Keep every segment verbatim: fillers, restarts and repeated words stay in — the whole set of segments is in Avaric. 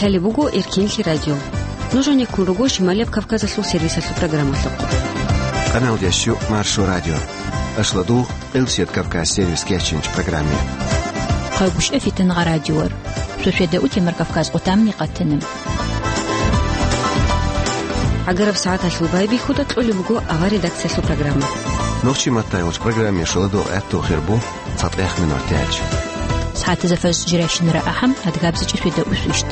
Лъалеб буго Эркенлъи радио. Нуж гьанеккун руго Шималияб Кавказалъул сервисалъул программалъухъ. Къаналдящу Маршо радио. Ашладу Элсет Кавказ сервис кечинч программе. Хъайбушев Фитнагъа радиор. Суседа утемар Кавказ отамни къатана. ГӀагараб сагӀаталъул байбихьуда кьолеб буго авар редакциялъул программа. Нохчи маттайгъулъ программе шоладул гӀатту хирбу цатӀех минор тяч. СагӀатазда фарз жиращинара ахӀам, адгабзичӀи светда усвищт.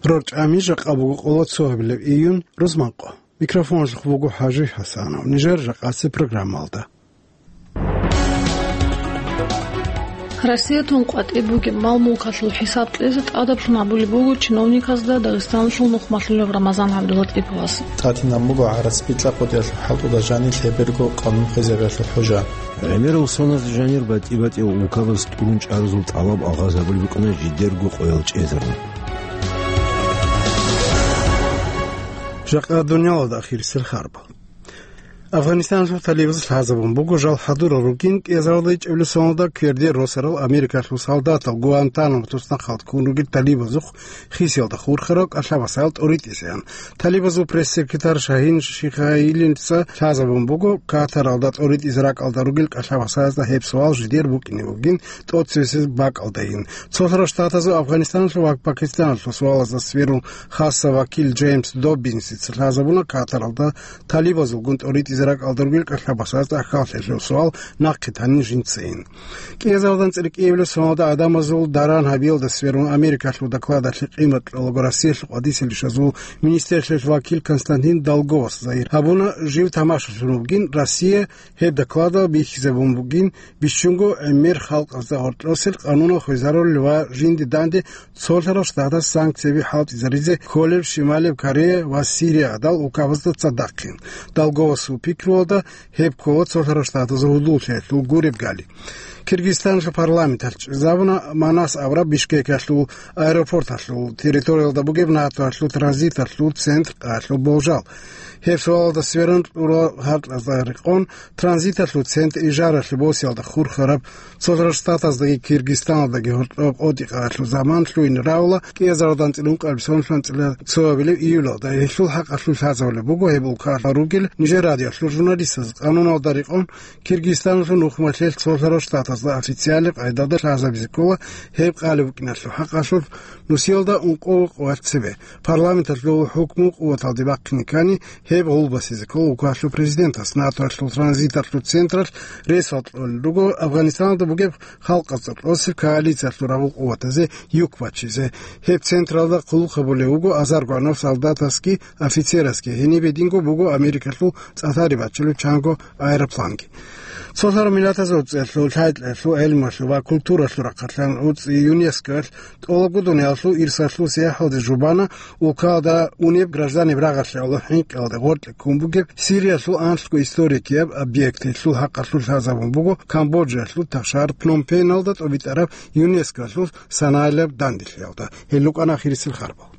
РорчӀами жакъа буго къоло цо гьабилеб июнь, рузманкъо. Микрофонлъухъ буго ХӀажи ХӀасанов. Нижер жакъасе программалда. Россиятун къватӀиб бугеб мал-мулкалъул хӀисаб кьезе тӀадаблъун гьабулеб буго чиновниказда Дагъистаналъул нухмалъулев Рамазан ГӀабдулатӀиповас. ТӀатинаб буго гӀарац бикьа-къотӀиялъул хӀалтӀуда жанир лъеберго къанун хвезабиялъул хӀужа. ГӀемерал соназ жанир батӀи-батӀиял улкабаз тӀурун чӀарзул тӀалаб алгъазабулеб букӀана жидерго къоял чӀезарун. Жакъа дуниялалда ахирисел харбал. Афганистаналъул талибаз лъазабун буго жал хӀадурал ругин кӀиазаралда ичӀабилеб соналда кверде росарал Америкалъул солдатал Гуантанамо туснахъалда ккун ругел талибазухъ хисиялда хурхарал кӀалъа-васаял тӀоритӀизеян. Талибазул пресс-секретарь Шагьин Шихаилица лъазабун буго, Катаралда тӀоритӀизе ракӀалда ругел кӀалъа-васаязда гьеб суал жидер букӀине бугин тӀоцебесеб бакӀалдайин. Цолъарал Штатазул Афганистаналъул ва Пакистаналъул суалазда сверун хасса вакил Джеймс Доббинсица лъазабуна Катаралда талибазулгун тӀоритӀизе ракӀалда ругел кӀалъа-васаязда ахьаллъи лъураб суал нахъе танин жинцайин. КӀиазаралда анцӀила кӀиабилеб соналда гӀадамазул даран гьабиялда сверун Америкалъул докладалъе къимат кьолаго Россиялъул къватӀисел ришазул министрлъиялъул вакил Константин Долговас загьир гьабуна, жив тамашалъун вугин Россия гьеб докладал бихьизабун бугин, бищунго гӀемер халкъазда гьоркьосел къанунал хвезарулел ва жинди данде цолъарал штатас санкцияби хӀалтӀизаризе кколел Шималияб Корея ва Сирия гӀадал улкабазда цадахъин. Долговасул пикруялда, гьеб ккола цолъарал штатазул гьудуллъиялъул гуреб гали. Киргизстаналъул парламенталъ чӀезабуна Манас абураб Бишкекалъул аэропорталъул территориялда бугеб НАТОялъул транзиталъул центр къаялъул болжал. Гьеб суалалда сверун кьурал гьаркьазда рекъон, транзиталъул центр ижаралъе босиялда хурхараб, цолъарал Штатаздаги Киргизстаналдаги гьоркьоб къотӀи къаялъул заман лъугьине равла кӀиазаралда анцӀила ункъабилеб соналъ анцӀила цоабилеб июлалда. Гьелъул хӀакъалъулъ лъазабулеб буго гьеб улкалда ругел нижер радиоялъул журналистаз. Къануналда рекъон, Киргизстаналъул нухмалъел цолъарал штатазда официалаб къайдада лъазабизе ккола гьеб къалеб букӀиналъул хӀакъалъулъ нусиялда ункъо къоялъ цебе. Парламенталъул хӀукму къуваталде бахъине ккани, гьеб гъулбасизе ккола улкалъул президентас. НАТОялъул транзиталъул централъ ресал кьолел руго Афганистаналда бугеб халкъазда кьосеб коалициялъул рагъул къуватазе юк бачизе. Гьеб централда хъулухъ гьабулев вуго азарго гӀанав солдатасги офицерасги, гьениб гьединго буго Америкалъул цӀалъари бачилев чанго аэропланги. Цолъарал миллатазул цӀеялъул, лъай-лъаялъул, гӀелмуялъул ва культуралъул рахъалъан уцӀи ЮНЕСКОялъ тӀолабго дуниялалъул ирсалъул сияхӀалде жубана улкалда унеб гражданиб рагъалъе гӀоло хӀинкъиялда гъоркье ккун бугеб Сириялъул анлъго историяб объект. Гьелъул хӀакъалъулъ лъазабун буго Камбоджаялъул ташар Пномпеналда тӀобитӀараб ЮНЕСКОялъул санаялъул данделъиялда. Гьел рукӀана ахирисел харбал.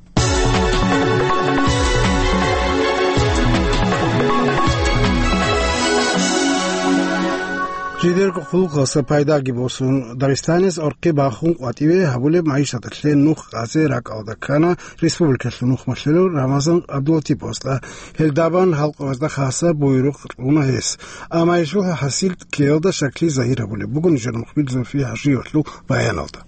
Жидерго хъулухъалъа пайдаги босун, Дагъистаниялъ гӀорхъи бахун къватӀиве гьабулеб магӀишаталъе нух къазе ракӀалда ккана республикалъул нухмалъулев Рамазан ГӀабдулатиповасда. Гьелдабан халкъалазда хасаб буйрухъ кьуна гьес. Амма гьелъул хӀасил ккеялда щаклъи загьир гьабулеб буго нижер мухбир Зульфия ХӀажиевалъул баяналда.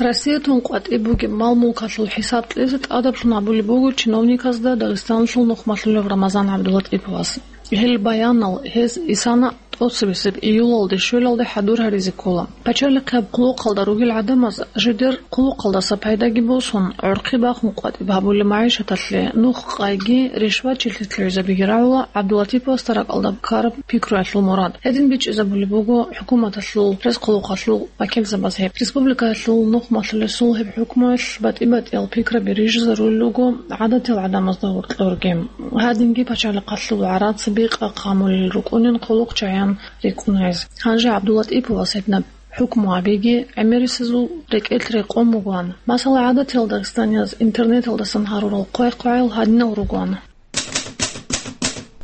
Россиятун къватӀиб бугеб мал-мулкалъул хӀисаб кьезе тӀадаблъун гьабулеб буго чиновниказда Дагъистаналъул нухмалъулев Рамазан ГӀабдулатӀиповас. Гьел баянал гьез исана тӀоцебесеб июлалде щвелалде хӀадур гьаризе ккола. Пачалихъияб хъулухъалда ругел гӀадамаз жидер хъулухъалдаса пайдаги босун, гӀорхъи бахун къватӀиб гьабулеб магӀишаталъе нух къайги ришвачилъи лъугӀизабиги рагӀула ГӀабдулатиповасда ракӀалда ккараб пикруялъул мурад. Гьедин бичӀчӀизабулеб буго хӀукуматалъул рес-хъулухъалъул вакилзабаз гьеб. Республикаялъул нухмалъулесул гьеб хӀукмуялъ батӀи-батӀиял пикраби рижизарулел руго гӀадатиял гӀадамазда гьоркьорги. Гьадинги пачалихъалъул гӀарац бикъа хъамулел рукӀунин хъулухъчагӀан рикӀкӀуна гьез. Гьанже ГӀабдулатӀиповас гьединаб хӀукму гьабиги гӀемерисезул рекӀелъ рекъон бугоан. Масала, гӀадатиял дагъистанияз интернеталдасан гьарурал хъвай-хъвагӀал гьадинал ругоан.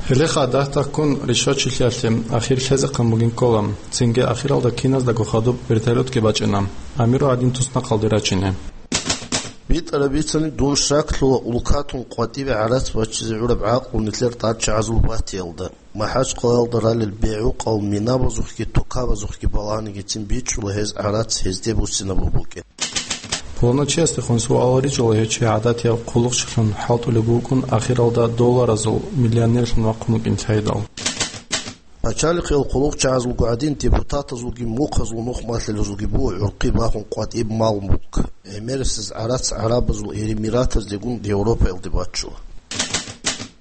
Гьелеха дагь-дагьккун ришвачилъиялъе ахир лъезехъан бугин ккола, цинги ахиралда киназдаго хадуб вертолетги бачӀана, амиру гӀадин туснахъалде рачине. БитӀараб бицани, дун щаклъула улкатун къватӀибе гӀарац баччизе гӀураб гӀакълу нилъер тӀадчагӀазул батиялда. МахӀачкъалаялда ралел бегӀукъал минабазухъги тукабазухъги балагьанигицин бичӀчӀула гьез гӀарац гьезде буссинабун букӀин. Пуланав чиясдехун суал ричӀула гьев чи гӀадатияв хъулухъчилъун хӀалтӀулеб букӀун, ахиралда долларазул миллионерлъун вахъун вукӀин цайидал. Пачалихъиял хъулухъчагӀазулго гӀадин депутатазулги мухъазул нухмалъилазулги буго гӀурхъи бахун къватӀиб мал-мулк. ГӀемерисез гӀарац гӀарабазул эмиратаздегун Европаялде баччула.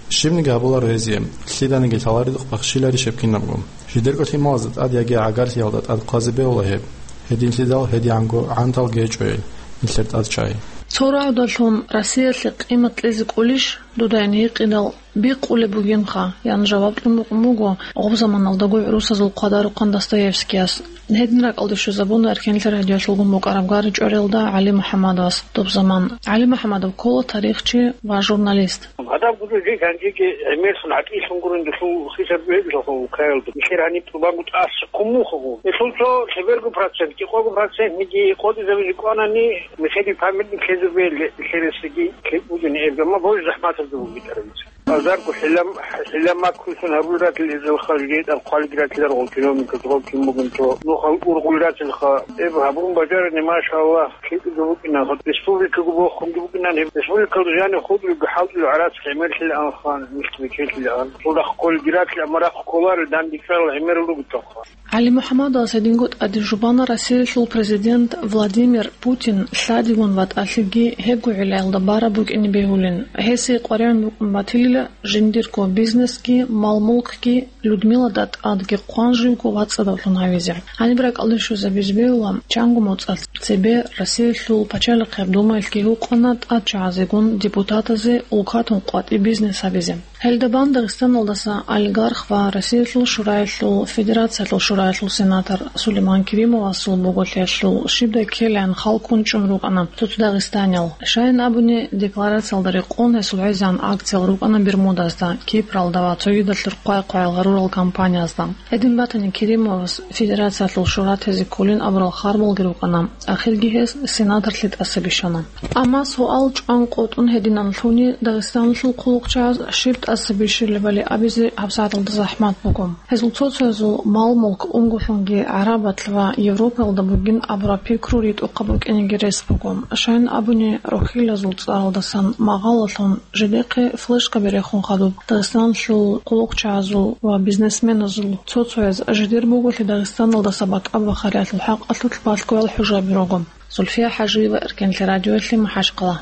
Щибниги гьабуларо гьезие, лъиданиги лъаларидухъ бахшиларищ гьеб кинабго. Жидерго лъималазда тӀад яги гӀагарлъиялда тӀад хъвазе бегьула гьеб. Гьединлъидал гьедигӀанго гӀанталги гьечӀо гьел, нилъер тӀад чагӀи. Цо рагӀудалъун Россиялъе къимат кьезе кӀолищ дуда гьикъидал, бикъулеб бугинха, ян жаваб кьун букӀун буго гъоб заманалдаго гӀурусазул хъвадарухъан Достоевскияс. Гьедин ракӀалде щвезабуна Эркенлъи радиолъулгун букӀараб гар чӀвариялда ГӀали МухӀаммадовас доб заман. ГӀали МухӀаммадов ккола тарихчи ва журналист. Гьадаб гуреб жи ганжеги гӀемерлъун гӀатӀилъун гурин дулъул хисар бегьулаха улкаялда. Нилъер гьаниб тӀубанго тӀаса кумухаго. Гьелъул цо лъеберго процент, кӀикъого процентниги къотӀизабизе кӀванани, нилъеде памятник лъезе бегьи, нилъересеги лъикӀ бугин гьеб, амма божи захӀматаб буго битӀарабица. Азарго хӀилам-, хӀилам макрулъун гьабулел ратил гьезул халги, тӀад хъвалги ратилар гъол чиновниказ гъол кин бугин цо нухал ургъул ратилха. Эб гьабун бажарани, машаллагь, лъикӀго букӀина, республикаго бохунги букӀинан, гьеб республикалда жанив хутӀулебги хӀалтӀулев гӀарац гӀемерлъилаанха, михьги бечелъилаан. Цо рахъ кколги ратила, амма рахъ кколарел дандекӀарал гӀемерал ругитаха. ГӀали МухӀаммадовас гьединго тӀаде жубана Россиялъул президент Владимир Путин лъадигун ва тӀалъиги гьебго гӀиллаялда бараб букӀине бегьулин. Гьесие къваригӀун букӀун батилила жиндирго бизнесги, мал-мулкги Людмилада тӀадги хъван живго вацӀцӀадавлъун гьавизе. Гьаниб ракӀалде щвезабизе бегьула, чанго моцӀалъ цебе Россиялъул пачалихъияб думаялъги гьукъана тӀадчагӀазегун депутатазе улкатун къватӀиб бизнес гьабизе. Гьелда бан Дагъистаналдаса олигарх ва Россиялъул Шураялъул Федерациялъул Шураялъул сенатор Сулейман Керимовасул буголъиялъул щибдай ккелаян хал ккун чӀун рукӀана цо-цо дагъистаниял. Щайин абуни, декларациялда рекъон гьесул гӀезегӀан акциял рукӀана Бермудазда, Кипралда ва цогидалъур хъвай-хъваял гъарурал компаниязда. Гьедин батани, Керимовас Федерациялъул Шура тезе кколин абурал харбалги рукӀана, ахирги гьес сенаторлъи тӀаса бищана. Амма суал чӀван къотӀун гьединанлъуни, Дагъистаналъул хъулухъчагӀаз щиб тӀаса бищулебали абизе гьабсагӀаталда захӀмат буго. Гьезул цо-цоязул мал-мулк унголъунги гӀарабалъ ва Европаялда бугин абураб пикру ритӀухъаб букӀинеги рес буго. Щайин абуни, рохьилазул цӀаралдасан магъалалъун жидехъе флешкаби рехун хадуб, Дагъистаналъул хъулухъчагӀазул ва бизнесменазул цо-цояз жидер буголъи Дагъистаналдаса бакӀаб бахариялъул хӀакъалъулъ балъгоял хӀужаби руго. Зульфия ХӀажиева, Эркенлъи радиоялъе, МахӀачкъала.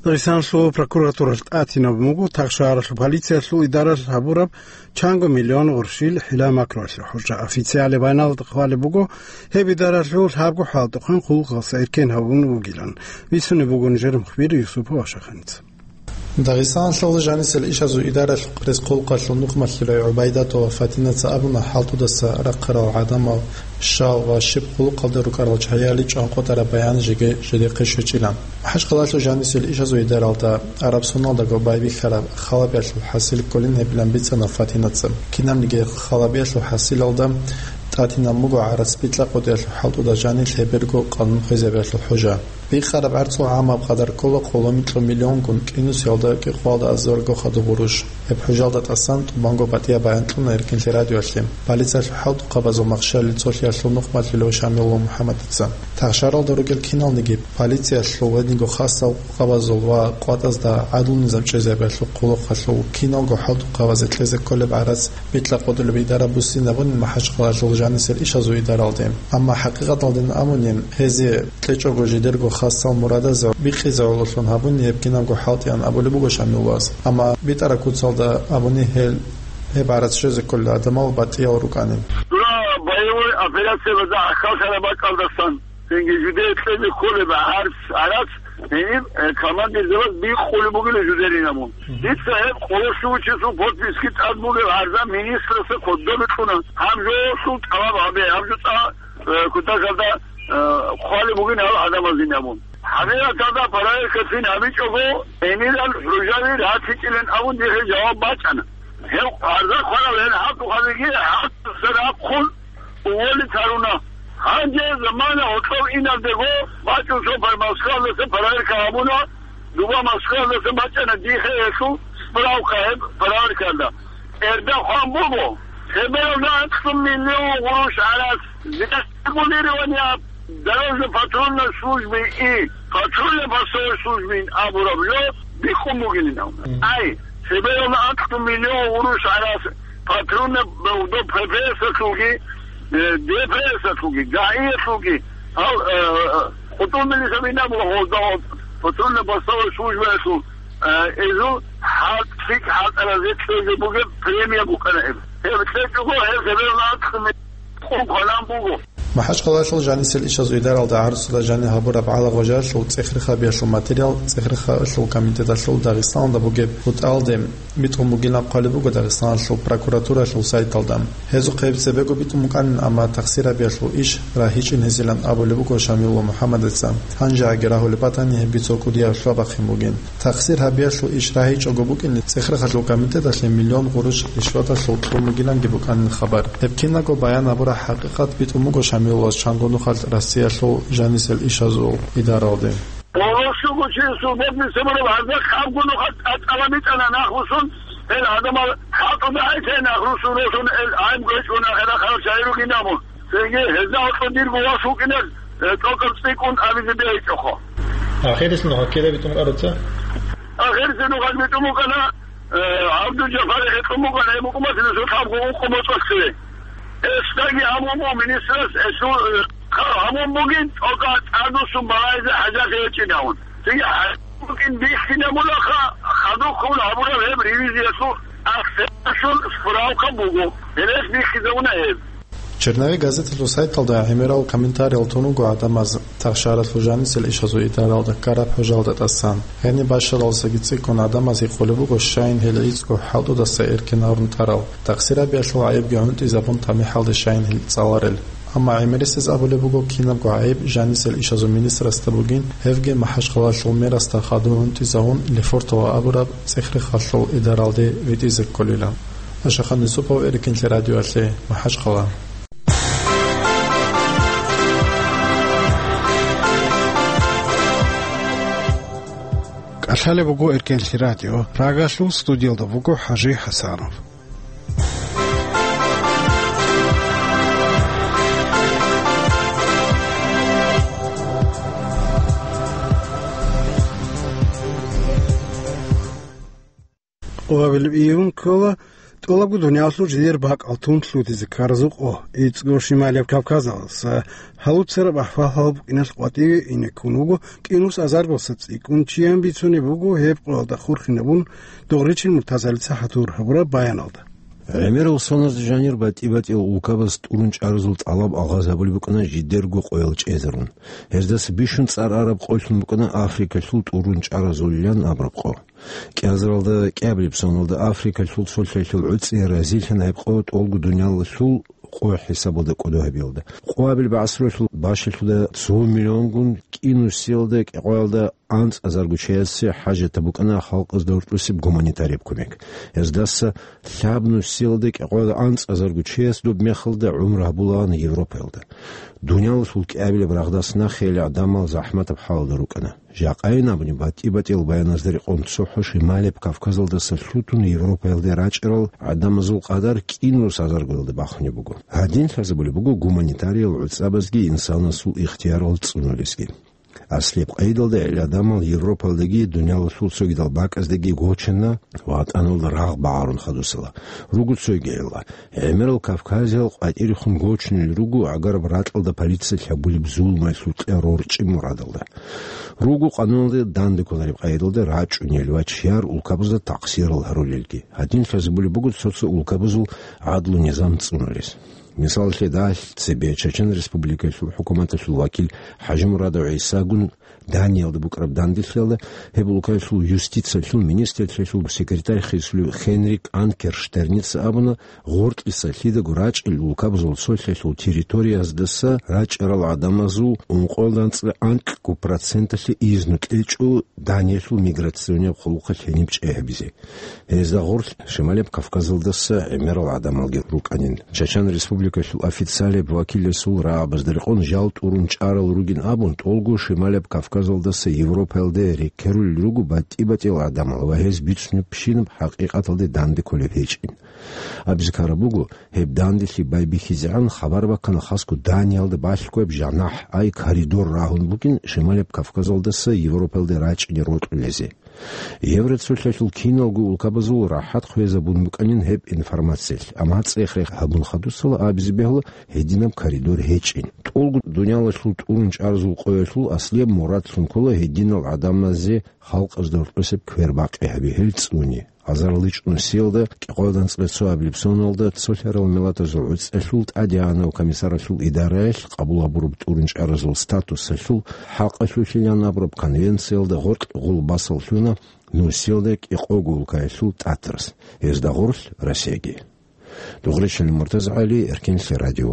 Дагъистаналъул прокуратуралъ тӀатинаб буго Тахшагьаралъул полициялъул идаралъ гьабураб чанго миллион гъурщил хӀила-макруялъе хӀужа. Официале байналда хъвалеб буго, гьеб идаралъул лъабго хӀалтӀухъан хъулухъалъа эркен гьабун вугилан. Бицунеб буго нижер мухбир Юсупов Ашаханица. Дагъистаналъул жанисел ишазул идаралъ рес-хъулухъалъул нухмалъулай ГӀубайдатова Фатинаца абуна, хӀалтӀудаса рахъарал гӀадамал щал ва щиб хъулухъалда рукӀарал чагӀияли чӀванкъотӀараб баян жеги жидехъе щвечӀила. МахӀачкъалалъул жанисел ишазул идаралда араб соналдаго байбихьараб халабиялъул хӀасил кколин гьебилан бицана Фатинаца. Кинабниги халабиялъул хӀасилалда тӀатинаб буго гӀарац бикьа-къотӀиялъул хӀалтӀуда жанир лъеберго къанун хвезабиялъул хӀужа. Бикъараб гӀарцул гӀамаб къадар ккола къоло-микьго миллионгун, кӀинусиялда кӀикъоялда азарго хадуб гъурущ. Гьеб хӀужалда тӀасан тӀубанго батӀияб баян кьуна Эркенлъи радиоялъе полициялъул хӀалтӀухъабазул махщалил цолъиялъул нухмалъулев Шамилов МухӀаммадица. Тахшагьаралда ругел киналниги, полициялъул ва гьединго хасал къабазул ва къватӀазда гӀадлу-низам чӀезабиялъул хъулухъалъул киналго хӀалтӀухъабазе кьезе кколеб гӀарац бикьа-къотӀулеб идара буссинабунин МахӀачкъалалъул жанисел ишазул идаралде. Амма хӀакъикъаталдин абунин, гьезие кьечӀого жидерго хасал мурадазда бикъизе гӀололъун гьабуни гьеб кинабго хӀалтӀиян абулеб буго Шамиловас. Амма битӀараб куцалда абуни гьел гьеб гӀарац щвезе кколел гӀадамал батӀиял рукӀанин. Дура боевой операциялда хьалхараб бакӀалдасан, цинги жидее кьезе кколеб гӀарц-, гӀарац, гьениб, э, командирзабаз бикъулеб бугила жидерин абун. Дица гьеб къоло щуго число подписки тӀад бугеб гӀарза министрасда кодобе кьуна. Гьаб жо цо тӀалаб гьабе, гьаб жо цо, э, кутакалда, э, хъвалеб бугин гьал гӀадамазин абун. ХӀакъикъаталда проверкацин гьабичӀого, гьенирал хӀужаби ратичӀилан абун дихъе жаваб бачӀана. Гьев гьарда хварал гьел хӀалтӀухъабиги хӀалтӀуса рахъун уволить гьаруна. Гьанже замана гьоркьов инабдего бачӀун цо пар-, Москвалдаса проверка гьабуна, дуба Москвалдаса бачӀана дихъе гьелъул справка гьеб проверкалда. Гьерда хъван буго, цебе гьеб анкьлъун миллион гъурущ гӀарас регулирование дорожно-патрульной службы и патрульно-постовой службы абураб ло биххун бугилин. Мгм. Ай, цебе гьеб анкьлъун миллион гъурущ гӀарас патрульно, до П П С-алъулги, э, Д П С-алъулги, ГАИ-ялъулги, гьал, э, э, хутӀун милиса бинабула гьозда гьоб патрульно-постовой службаялъул, э, эзул хӀалтӀ-, лъикӀ хӀалтӀаразе кьезе бугеб премия букӀана гьеб. Гьеб кьечӀого гьеб цебе гьеб анкьлъун къун кванан буго. МахӀачхъалаялъул жанисел ишазул идаралда гӀарцуда жанир гьабураб гӀалагъважалъул цӀехрихъабиялъул материал ЦӀехрихъалъул комитеталъул Дагъистаналда бугеб бутӀралде битӀун бугилан хъвалеб буго Дагъистаналъул прокуратуралъул сайталда. Гьезухъе гьеб цебего битӀун букӀанин, амма тахсир гьабиялъул иш рагьичӀин гьезилан абулеб буго Шамилулла МухӀаммадица. Гьанже гьаги рагьулеб батани, гьеб бицо кӀудияб лъабахъин бугин. Тахсир гьабиялъул иш рагьичӀого букӀине, ЦӀехрихъалъул комитеталъе миллион гъурущ ришваталъул кьун бугиланги букӀанин хабар. Гьеб кинабго баян гьабураб хӀакъикъат битӀун буго Шамилуллас чанго нухалъ Россиялъул жанисел ишазул идаралде. Гьоркього чи сурбатни сабураб гьарда хабго нухалъ тӀатӀала битӀана нахлъун, гьел гӀадамал хӀалтӀуда гӀайсай нахлъун росун, гьел гӀайиб гьечӀун ахирахъал шагьируги набун. Цинги гьезда гьоркьо дирго вас вукӀинар, э, тӀокӀаб цӀикӀкӀун абизе бегьичӀоха. Ахирисеб нухалъ кида битӀун букӀаруца? Ахирисеб нухалъ битӀун букӀана, э, ГӀабдул-Жаббар гьекъун букӀана, гьеб букӀун батила цо лъабго ункъо моцӀалъе. Гьесдаги гьабун буго министрас гьесул, э, хъа-, гьабун бугин тӀокӀаб тӀадвуссун балагьизе хӀажат гьечӀин абун. Цинги гьабун букӀин бихьинабулаха, хадуб ккун гьабураб гьеб ревизиялъул ахсенашул справка буго. Гьелъ бихьизабуна гьеб. Черновик газеталъул сайталда гӀемерал комментариял тун руго гӀадамаз тахшаралъул жанисел ишазул идаралда ккараб хӀужалда тӀасан. Гьениб бащаралдасаги цӀикӀкӀун гӀадамаз гьикъулеб буго, щайин гьел гӀицӀго хӀалтӀудаса эркин гьарун тарал, тахсир гьабиялъул гӀайибги гӀунтӀизабун тамихӀалде щайин гьел цӀаларел. Амма гӀемерисез абулеб буго, кинабго гӀайиб жанисел ишазул министрасда бугин, гьевги МахӀачхъалаялъул мэрасда хадув гӀунтӀизавун Лефортово абураб ЦӀехрихъалъул идаралде витӀизе кколила. Ашахан Юсупов, Эркинлъи радиоялъе, МахӀачхъала. КӀалъалеб буго Эркинлъи радио. Прагалъул студиялда буго ХӀажи ХӀасанов. Къоабилеб июнь ккола тӀолабго дуниялалъул жидер бакӀал тун лъутизе ккаразул къо. ИцӀго Шималияб Кавказалъуса гьалуцараб ахӀвал гьаб букӀиналъ къватӀиве ине ккун вуго кӀинус азарго цӀикӀкӀун чиян бицунеб буго гьеб къоялда хурхинабун Догъричил Муртазалица хӀатур гьабураб баяналда. ГӀемерал соналъ жанир батӀи-батӀиял улкабаз тӀурун чӀаразул тӀалаб алгъазабулеб букӀана жидерго къоял чӀезарун. Гьездаса бищун цӀар араб къоялъун букӀана Африкалъул тӀурун чӀаразулилан абураб къо. КӀиазаралда кӀиабилеб соналда Африкалъул цо лъелъул гӀуцӀи разилъана гьеб къо тӀолго дуниялалъул къо хӀисабалда кӀодо гьабиялда. Къоабил бегӀсаралъул бащалъуда цо миллионгун кӀинусиялда кӀикъоялда анцӀазарго чиясе хӀажатаб букӀана халкъазда гьоркьосеб гуманитарияб кумек. Гьездаса лъабнусиялда кӀикъоялда анцӀазарго чияс доб мехалда гӀумру гьабулаан Европаялда. Дуниялалъул кӀиабилеб рагъдас нахъе гӀадамал захӀматаб хӀалалда рукӀана. Жакъайин абуни, батӀи-батӀиял баяназда рекъон цохӀо Шималияб Кавказалдаса лъутун Европаялде рачӀарал гӀадамазул къадар кӀинус азаргоялда бахунеб буго. Гьадин лъазабулеб буго гуманитариял гӀуцӀабазги инсанасул ихтиярал цӀунулезги. Аслияб къайдалда гӀел гӀадамал Европаялдаги дуниялалъул цогидал бакӀаздаги гочана ва ВатӀаналда рагъ багӀарун хадусала. Руго цойги гӀелла. ГӀемерал Кавказиял къватӀирехун гочунел руго, агъараб ракьалда полициялъ гьабулеб зулмаялъул кье рорчӀи мурадалда. Руго къануналда данде кколареб къайдалда рачӀунел ва чияр улкабазда такъсирал гьарулелги. Гьадин лъазабулеб буго цо-цо улкабазул гӀадлу-низам цӀунулез. Мисалалъе, дагьалъ цебе Чечен Республикалъул хӀукуматалъул вакил ХӀажимурадов ГӀисагун Даниялда букӀараб данделъиялда гьеб улкаялъул юстициялъул министрлъиялъул секретарь хисулев Хенрик Анкерштерница абуна, гъоркьиса лъидаго рачӀел улкабазул цолъиялъул территорияздаса рачӀарал гӀадамазул ункъоялда анцӀила анкьго проценталъе изну кьечӀо Даниялъул миграционияб хъулухъалъ гьениб чӀей гьабизе. Гьезда гъорлъ Шималияб Кавказалдаса гӀемерал гӀадамалги рукӀанин. Чачан Республикалъул официалияб вакиласул рагӀабазда рекъон жал тӀурун чӀарал ругин абун, тӀолго Шималияб Кавказалдаса Европаялде рекерулел руго батӀи-батӀиял гӀадамал ва гьез бицунебщинаб хӀакъикъаталде данде кколеб гьечӀин. Абизе ккараб буго, гьеб данделъи байбихьизегӀан хабар баккана хасго Даниялда балъгояб жанахӀ, ай коридор рагьун бугин Шималияб Кавказалдаса Европаялде рачӀине рокьулезе. Евроцолъиялъул киналго улкабазул рахӀат хвезабун букӀанин гьеб информациялъ, амма цӀех-рех гьабун хадусала абизе бегьула гьединаб коридор гьечӀин. ТӀолго дуниялалъул тӀурун чӀаразул къоялъул аслияб мурадлъун ккола гьединал гӀадамазе халкъазда гьоркьосеб квербакъи гьаби гьел цӀуни. Азарилчи нусиялда кӀикъоялда анцӀила цоабилеб соналда цолъарал миллатазул гӀуцӀиялъул тӀадегӀанав комиссаралъул идараялъ къабул гьабураб тӀурун чӀаразул статусалъул хӀакъалъулъилан абураб конвенциялда гъоркь гъулбасал лъуна нусиялда кӀикъого улкаялъул тӀатарас, гьезда гъорлъ Россияги. Дугъричилин МуртазагӀали, Эркенлъи радио.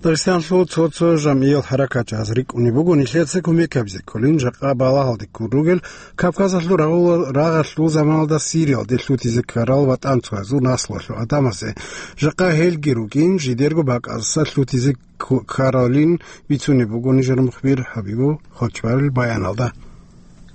Дагъистанлъул цо-цо жамгӀиял хӀаракатчияс рикӀкӀунеб буго нилъеца кумек гьабизе кколин жакъа балагьалде ккун ругел Кавказалъул рагъула-, рагъалъул заманалда Сириялде лъутизе ккарал ватӀанцоязул наслуялъул гӀадамазе. Жакъа гьелги рукӀин жидерго бакӀаздаса лъутизе кку-, ккаралин бицунеб буго нижер мухбир Хабибул Хочбарил баяналда.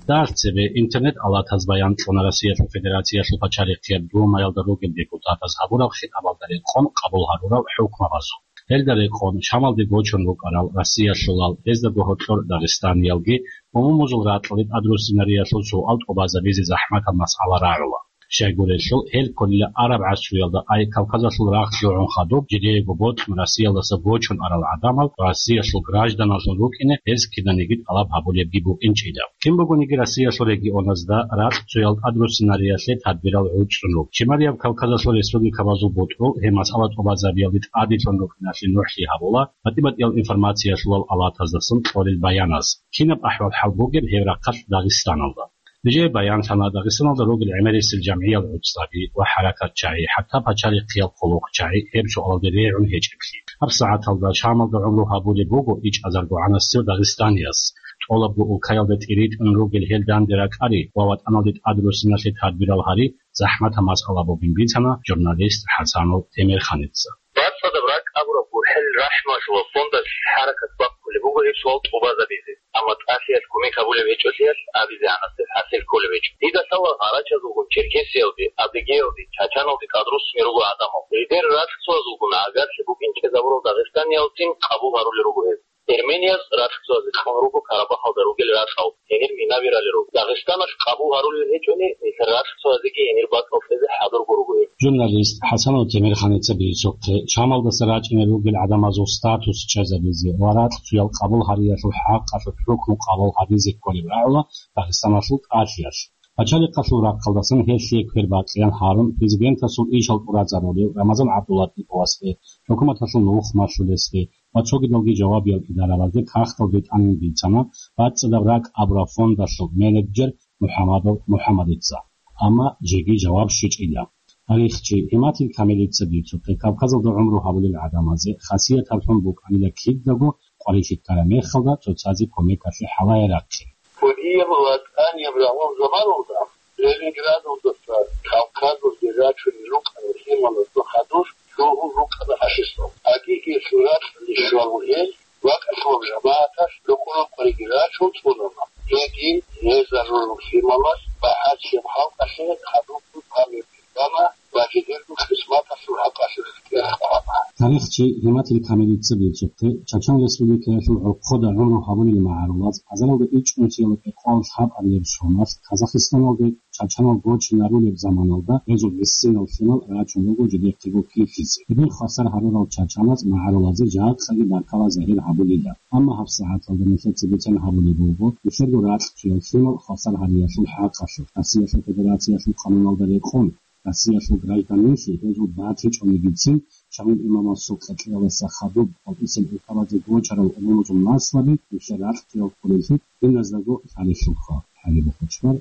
Дагь цебе интернет-алатаз баян кьуна Россиялъул Федерациялъул пачалихъияб Думаялда ругел депутатаз гьабураб хитӀабалда рекъон къабул гьарурал хӀукмабазул. Гьелда рекъон Шамалде гочун рукӀарал россиялъулал, гьездаго гьоркьор дагъистаниялги, умумузул ракьалде тӀадруссинариялъул суал тӀубазабизе захӀматаб масъала рагӀула. Щайгурелъул, гьел кколила араб гӀасруялда, ай Кавказалъул рагъ лъугӀун хадуб, жидеего бокьун Россиялдаса гочун арал гӀадамал Россиялъул гражданлъун рукӀине гьез киданиги тӀалаб гьабулебги букӀинчӀила. Кин бугониги Россиялъул регионазда ракьцоял тӀадруссинариялъе тадбирал гӀуцӀун руго. Шималияб Кавказалъул республикабазул бутӀрул гьеб масъала тӀубазабиялде тӀаделъун рукӀиналъе нухӀлъи гьабула батӀи-батӀиял информациялъулал алатаздасан кьолел баяназ. Кинаб ахӀвал-хӀал бугеб гьеб рахъалъ Дагъистаналда? Нижее баянлъана Дагъистаналда ругел гӀемерисел жамгӀиял гӀуцӀаби ва хӀаракатчагӀи, хӀатта пачалихъиял хъулухъчагӀи гьеб суалалде регӀун гьечӀеблъи. ГьабсагӀаталда Шамалда гӀумру гьабулеб буго ичӀазарго гӀанасев дагъистанияс. ТӀолабго улкаялда тӀиритӀун ругел гьел данде ракӀари ва ватӀаналде тӀадруссиналъе тадбирал гьари захӀматаб масъала бугин бицана журналист ХӀасанов Темирханица. БацӀцӀадаб ракӀ абураб гурхӀел рахӀмалъулаб фондалъ хӀаракат бахъулеб буго гьеб суал тӀубазабизе, амма тӀалъиялъ кумек гьабулеб гьечӀолъиялъ абизегӀанасеб хӀасил кколеб гьечӀо. Дида лъала гъарачазулгун черкесиялде, адыгеялде, чачаналде тӀадруссине руго гӀадамал. Гьедер ракьцоязулгун агаралъе букӀинчӀезабурал дагъистаниялцин къабул гьарулел руго гьез. Эрменияз ракьцоязе кьун руго Карабахалда ругел ракьал, гьенир минаби ралел руго. Дагъистаналъ къабул гьарулел гьечӀони, нилъер ракьцоязеги гьенир бакӀал кьезе хӀадурго руго гьеб. Журналист ХӀасанов Темирханица бицухъе, Шамалдаса рачӀунел ругел гӀадамазул статус чӀезабизе ва ракьцоял къабул гьариялъул хӀакъалъулъ хӀукму къабул гьабизе кколеб рагӀула Дагъистаналъул тӀалъиялъ. Пачалихъалъул рахъалдасан гьелъие квербакъиян гьарун президентасул ишал тӀуразарулев Рамазан ГӀабдуллатиповасде, хӀукуматалъул нухмалъулесде ва цогидалги жавабиял идаралазде кагъталде тӀамин бицана БацӀцӀадаб ракӀ абураб фондалъул менеджер МухӀамадов МухӀамадица, амма жеги жаваб щвечӀила. Тарихчи Гьиматил Камилица бицухъе, Кавказалда гӀумру гьабулел гӀадамазе хасиятаблъун букӀанила кидаго къварилъи ккараб мехалда цоцазе кумекалъе хӀалае рахъин. Кодияб ва тӀанияб рагъул заманалда Ленинградалдаса Кавказалде рачунел рукӀарал лъималазда хадур лъугьун рукӀана фашистал. Агиги суракьалде щварав гьел вакъалъулаб жамагӀаталъ рокъо-рокъориги рачун цӀунаха. Гьедин гьезда рурун лъималаз багӀарчияб халкъалъе хадубги памер бана ва жидерго хъизматалъул хӀакъалъулъ кӀерхъана. Тарихчи Гьиматил Камилица бицухъе, Чачан Республикаялъул гӀорхъода гӀумру гьабулел магӀарулаз азаралда ичӀнусиялда кӀикъоялда лъабабилеб соналъ Казахстаналде чачанал гочинарулеб заманалда гьезул гӀисинал лъимал рачун руго жидехъего килъизе. Гьедин хвасар гьарурал чачаназ магӀарулазе жакъаги баркала загьир гьабулила. Амма гьабсагӀаталда нилъеца бицан гьабулеб буго нилъерго ракьцоял лъимал хвасар гьариялъул хӀакъалъулъ Россиялъул Федерациялъул къануналда рекъон. Россиялъул гражданинлъи гьезул батичӀонигицин, Шамил имамасул къеркьеялдаса хадуб хӀалтӀисел улкабазе гочарал умумузул наслаби нилъер ракьги кколеллъи диназдаго лъалелъулха. ХӀалиб хъучбар,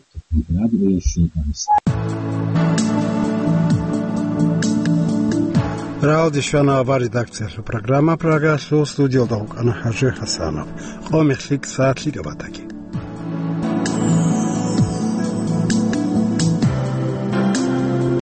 Дагъистан. Рагьалде щвана авар редакциялъул программа, Прагалъул студиялда вукӀана ХӀажи ХӀасанов. Къо мехлъи сагӀат лъикӀаб батаги.